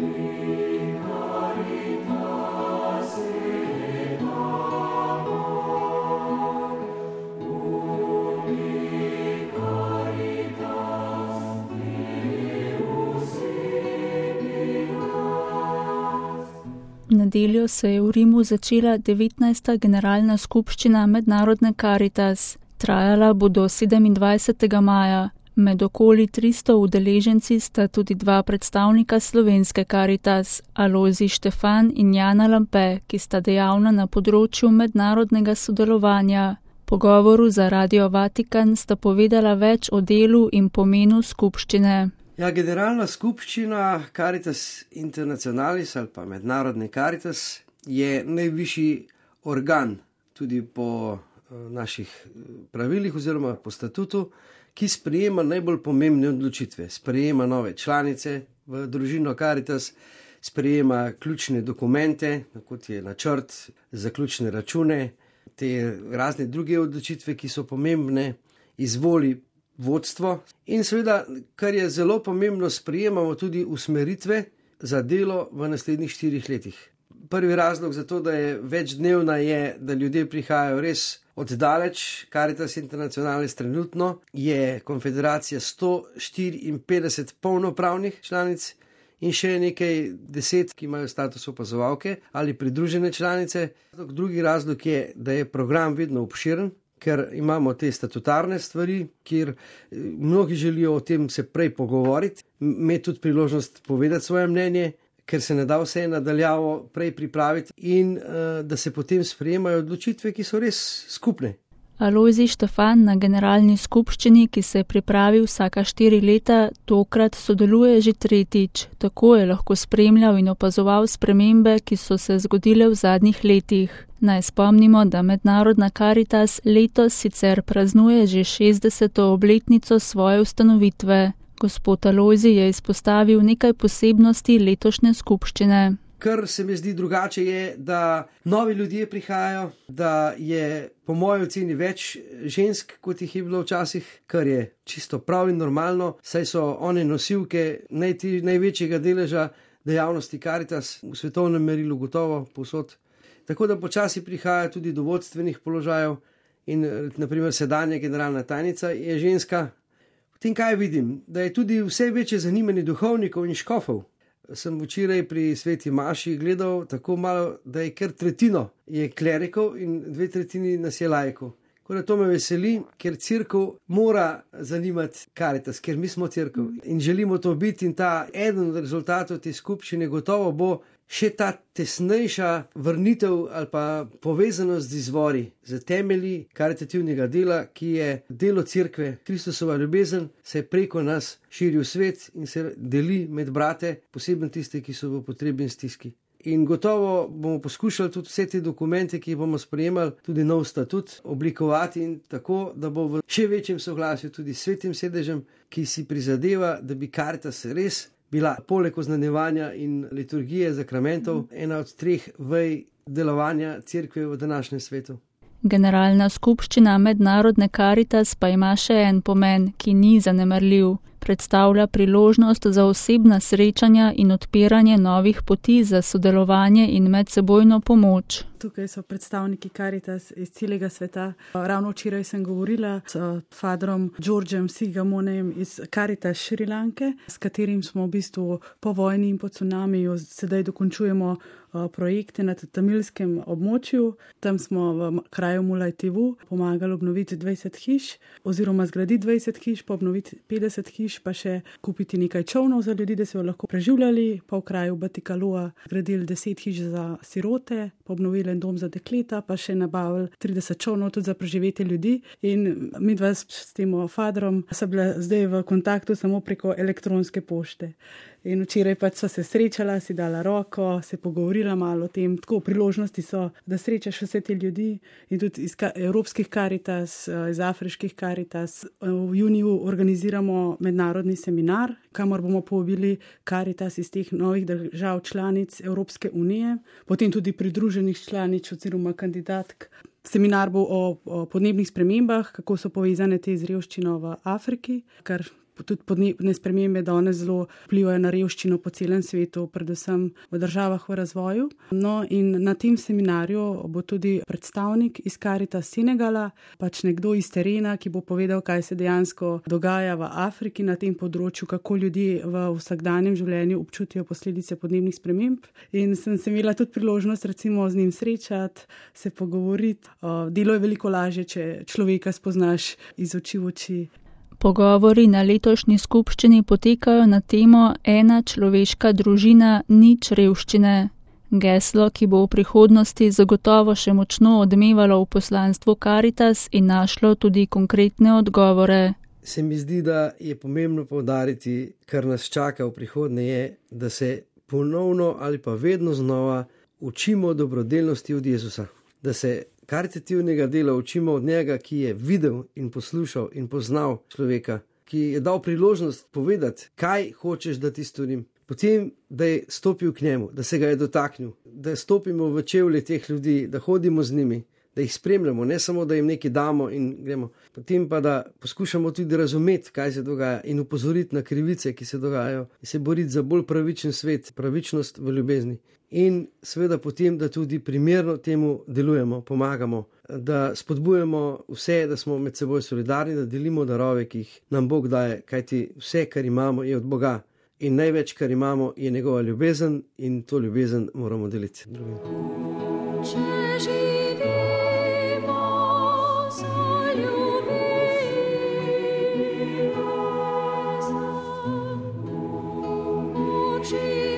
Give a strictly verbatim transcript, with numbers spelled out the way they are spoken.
V nedeljo se je v Rimu začela devetnajsta generalna skupščina Mednarodne Karitas. Trajala bo do sedemindvajsetega maja. Med okoli tristo udeleženci sta tudi dva predstavnika slovenske Karitas, Alojzij Štefan in Jana Lampe, ki sta dejavna na področju mednarodnega sodelovanja. Po govoru za Radio Vatikan sta povedala več o delu in pomenu skupščine. Ja, generalna skupščina Caritas Internationalis ali pa Mednarodne Karitas je najvišji organ tudi po naših pravilih oziroma po statutu, ki sprejema najbolj pomembne odločitve. Sprejema nove članice v družino Caritas, sprejema ključne dokumente, kot je načrt, zaključne račune, te razne druge odločitve, ki so pomembne, izvoli vodstvo in seveda, kar je zelo pomembno, sprejemamo tudi usmeritve za delo v naslednjih štirih letih. Prvi razlog za to, da je večdnevna, je, da ljudje prihajajo res oddaleč. Caritas Internationalis trenutno je konfederacija sto štiriinpetdeset polnopravnih članic in še nekaj deset, ki imajo status opazovalke ali pridružene članice. Drugi razlog je, da je program vedno obširen, ker imamo te statutarne stvari, kjer mnogi želijo o tem se prej pogovoriti, imeti tudi priložnost povedati svoje mnenje, ker se ne da vse nadaljavo prej pripraviti in uh, da se potem sprejemajo odločitve, ki so res skupne. Alojzij Štefan na generalni skupščini, ki se pripravi vsaka štiri leta, tokrat sodeluje že tretjič. Tako je lahko spremljal in opazoval spremembe, ki so se zgodile v zadnjih letih. Naj spomnimo, da Mednarodna Karitas letos sicer praznuje že šestdeseto obletnico svoje ustanovitve. Gospod Alojzij je izpostavil nekaj posebnosti letošnje skupščine. Kar se mi zdi drugače je, da novi ljudje prihajajo, da je po moji oceni več žensk, kot jih je bilo včasih, kar je čisto prav in normalno, saj so one nosilke najti, največjega deleža dejavnosti Caritas v svetovnem merilu gotovo povsod. Tako da počasi prihaja tudi do vodstvenih položajev in naprimer sedanja generalna tajnica je ženska. Potem kaj vidim? Da je tudi vse večje zanimanje duhovnikov in škofov. Sem včeraj pri sveti maši gledal tako malo, da je kar tretjino je klerikov in dve tretjini nas je laikov. Tako da to me veseli, ker cerkev mora zanimati Caritas, ker mi smo cerkev in želimo to biti in ta eden od rezultatov te skupščine gotovo bo še ta tesnejša vrnitev ali pa povezanost z izvori, z temelji karitativnega dela, ki je delo cerkve. Kristusova ljubezen se preko nas širi v svet in se deli med brate, posebno tiste, ki so v potrebi in stiski. In gotovo bomo poskušali tudi vse te dokumente, ki jih bomo sprejemali, tudi nov statut, oblikovati in tako, da bo v še večjem soglasju tudi s svetim sedežem, ki si prizadeva, da bi Caritas res bila poleg oznanjevanja in liturgije zakramentov ena od treh vej delovanja cerkve v današnjem svetu. Generalna skupščina Mednarodne Karitas pa ima še en pomen, ki ni zanemarljiv. Predstavlja priložnost za osebna srečanja in odpiranje novih poti za sodelovanje in medsebojno pomoč. Tukaj so predstavniki Caritas iz celega sveta. Ravno včeraj sem govorila s fadrom Georgem Sigamonem iz Caritas Šrilanke, s katerim smo v bistvu po vojni in po cunamiju sedaj dokončujemo projekte na tamilskem območju. Tam smo v kraju Mulajtivu pomagali obnoviti dvajset hiš oziroma zgraditi dvajset hiš, pa obnoviti petdeset hiš, pa še kupiti nekaj čovnov za ljudi, da se jo lahko preživljali. Pa v kraju Batikaloa zgradili deset hiš za sirote, pa obnovili en dom za dekleta, pa še nabavili trideset čovnov tudi za preživetje ljudi. In midva s tem fadrom so bila zdaj v kontaktu samo preko elektronske pošte. In včeraj pač so se srečala, si dala roko, se pogovorila malo o tem. Tako priložnosti so, da srečaš vse te ljudi in tudi iz evropskih Caritas, iz afriških Caritas. V juniju organiziramo mednarodni seminar, kamor bomo povabili Caritas iz teh novih držav članic Evropske unije, potem tudi pridruženih članic oziroma kandidatk. Seminar bo o, o podnebnih spremembah, kako so povezane te z revščino v Afriki, kar tudi podnebne spremembe danes zelo vplivajo na revščino po celem svetu, predvsem v državah v razvoju. No in na tem seminarju bo tudi predstavnik iz Caritas Senegala, pač nekdo iz terena, ki bo povedal, kaj se dejansko dogaja v Afriki na tem področju, kako ljudje v vsakdanjem življenju občutijo posledice podnebnih sprememb. In sem se imela tudi priložnost recimo z njim srečati, se pogovoriti. Delo je veliko lažje, če človeka spoznaš iz oči v oči. Pogovori na letošnji skupščini potekajo na temo Ena človeška družina, nič revščine. Geslo, ki bo v prihodnosti zagotovo še močno odmevalo v poslanstvu Caritas in našlo tudi konkretne odgovore. Se mi zdi, da je pomembno poudariti, kar nas čaka v prihodnje, je, da se ponovno ali pa vedno znova učimo dobrodelnosti od Jezusa. Da se karitativnega dela učimo od njega, ki je videl in poslušal in poznal človeka, ki je dal priložnost povedati, kaj hočeš, da ti storim. Potem, da je stopil k njemu, da se ga je dotaknil, da stopimo v čevlje teh ljudi, da hodimo z njimi, da jih spremljamo, ne samo, da jim nekaj damo in gremo. Potem pa, da poskušamo tudi razumeti, kaj se dogaja in upozoriti na krivice, ki se dogajajo in se boriti za bolj pravičen svet, pravičnost v ljubezni. In seveda potem, da tudi primerno temu delujemo, pomagamo, da spodbujamo vse, da smo med seboj solidarni, da delimo darove, ki jih nam Bog daje, kajti vse, kar imamo, je od Boga. In največ, kar imamo, je njegova ljubezen in to ljubezen moramo deliti drugim. Če